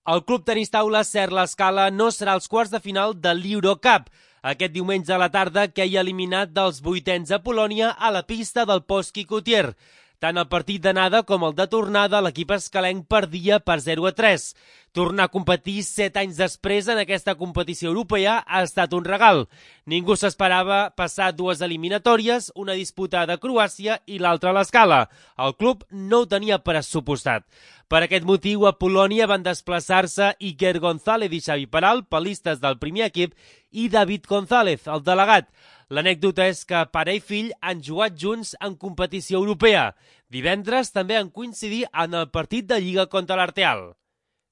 El club tenis taula Ser l'Escala no serà als quarts de final de l'Eurocup. Aquest diumenge a la tarda queia eliminat dels vuitens a Polònia a la pista del Polski Kutier. Tant el partit d'anada com el de tornada, l'equip escalenc perdia per 0-3. Tornar a competir 7 anys després en aquesta competició europea ha estat un regal. Ningú s'esperava passar dues eliminatòries, una disputada a Croàcia i l'altra a l'Escala. El club no ho tenia pressupostat. Per aquest motiu, a Polònia van desplaçar-se Iker González i Xavi Peral, palistes del primer equip, i David González, el delegat. L'anècdota és que pare i fill han jugat junts en competició europea. Divendres també han coincidit en el partit de Lliga contra l'Arteal.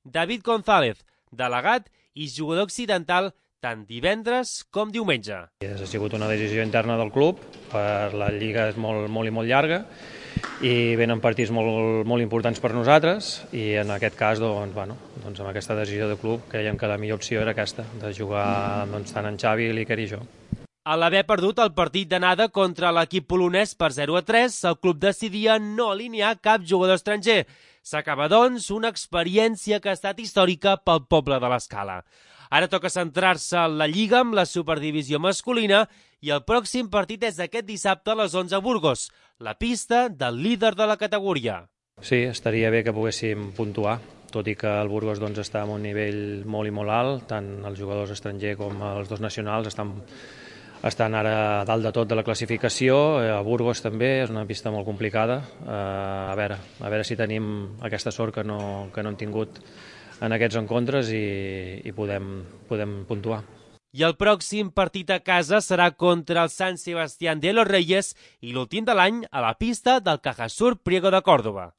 David González, delegat i jugador occidental tant divendres com diumenge. Ha sigut una decisió interna del club, la Lliga és molt i molt llarga i venen partits molt importants per nosaltres i en aquest cas, amb aquesta decisió de club, creiem que la millor opció era aquesta, de jugar tant en Xavi, l'Iker i jo. A l'haver perdut el partit d'anada contra l'equip polonès per 0-3, el club decidia no alinear cap jugador estranger. S'acaba, doncs, una experiència que ha estat històrica pel poble de l'Escala. Ara toca centrar-se en la Lliga amb la Superdivisió masculina i el pròxim partit és aquest dissabte a les 11 a Burgos, la pista del líder de la categoria. Sí, estaria bé que poguéssim puntuar, tot i que el Burgos està en un nivell molt i molt alt, tant els jugadors estrangers com els dos nacionals estan ara a dalt de tot de la classificació. A Burgos també és una pista molt complicada. A veure si tenim aquesta sort que no hem tingut en aquests encontres i podem puntuar. I el pròxim partit a casa serà contra el San Sebastián de los Reyes i l'últim de l'any a la pista del Cajasur Priego de Córdoba.